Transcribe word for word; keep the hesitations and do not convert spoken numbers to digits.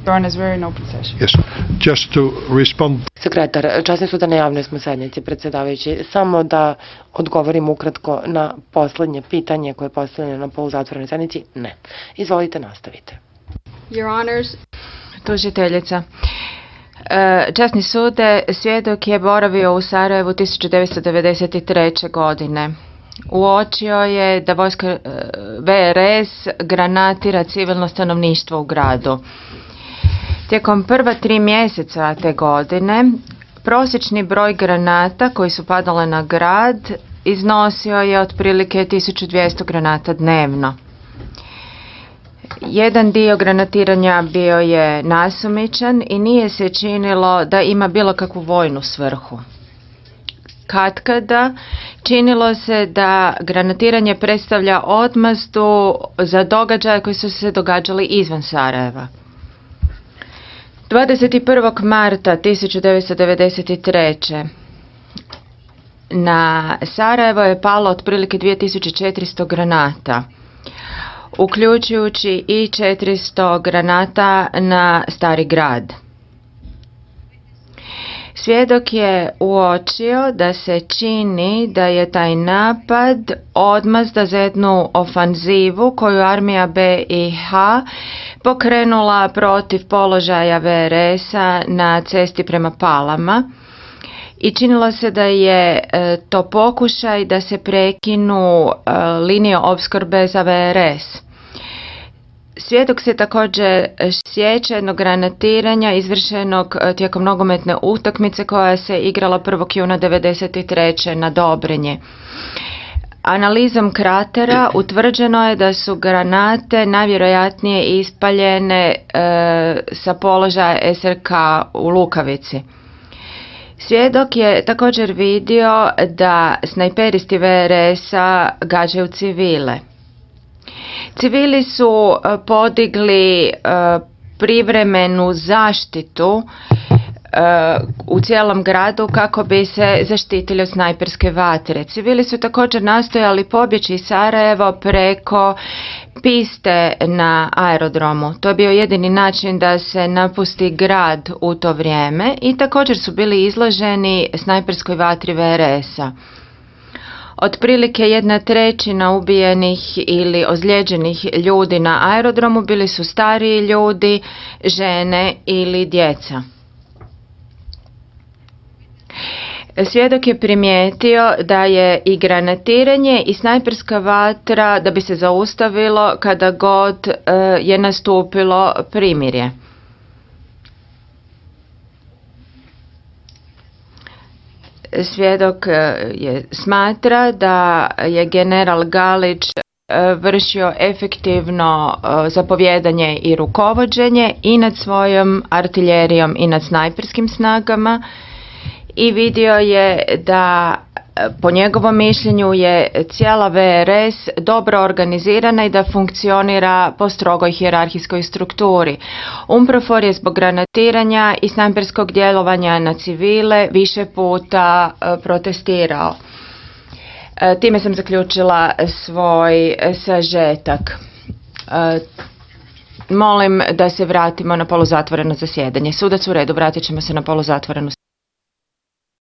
Yes, just to respond. Sekretar, časni su da na javnoj smo sednici, predsjedavajući. Samo da odgovorim ukratko na poslednje pitanje koje je postavljeno na poluzatvorenoj sednici. Ne. Izvolite, nastavite. Your Honors. Tužiteljica. Časni sude, svjedok je boravio u Sarajevu tisuću devetsto devedeset treće. godine. Uočio je da vojska V R S granatira civilno stanovništvo u gradu. Tijekom prva tri mjeseca te godine prosječni broj granata koji su padale na grad iznosio je otprilike tisuću dvjesto granata dnevno. Jedan dio granatiranja bio je nasumičan i nije se činilo da ima bilo kakvu vojnu svrhu. Katkada činilo se da granatiranje predstavlja odmazdu za događaje koji su se događali izvan Sarajeva. dvadeset prvog marta tisuću devetsto devedeset treće. na Sarajevo je palo otprilike dvije tisuće četiristo granata, uključujući i četiristo granata na Stari grad. Svjedok je uočio da se čini da je taj napad odmazda za jednu ofanzivu koju armija B i H pokrenula protiv položaja V R S-a na cesti prema Palama i činilo se da je to pokušaj da se prekinu linije opskrbe za V R S. Svjedok se također sjeća jednog granatiranja izvršenog tijekom nogometne utakmice koja se igrala prvog juna devedeset treće. na Dobrinji. Analizom kratera utvrđeno je da su granate najvjerojatnije ispaljene e, sa položaja S R K u Lukavici. Svjedok je također vidio da snajperisti V R S-a gađaju civile. Civili su podigli privremenu zaštitu u cijelom gradu kako bi se zaštitili od snajperske vatre. Civili su također nastojali pobjeći iz Sarajevo preko piste na aerodromu. To je bio jedini način da se napusti grad u to vrijeme i također su bili izloženi snajperskoj vatri V R S-a. Otprilike jedna trećina ubijenih ili ozlijeđenih ljudi na aerodromu bili su stariji ljudi, žene ili djeca. Svjedok je primijetio da je i granatiranje i snajperska vatra da bi se zaustavilo kada god je nastupilo primirje. Svjedok je smatra da je general Galić vršio efektivno zapovjedanje i rukovođenje i nad svojom artiljerijom i nad snajperskim snagama i vidio je da po njegovom mišljenju je cijela V R S dobro organizirana i da funkcionira po strogoj hijerarhijskoj strukturi. UNPROFOR je zbog granatiranja i snajperskog djelovanja na civile više puta protestirao. Time sam zaključila svoj sažetak. Molim da se vratimo na poluzatvoreno zasjedanje. Sudac u redu, vratit ćemo se na poluzatvorenu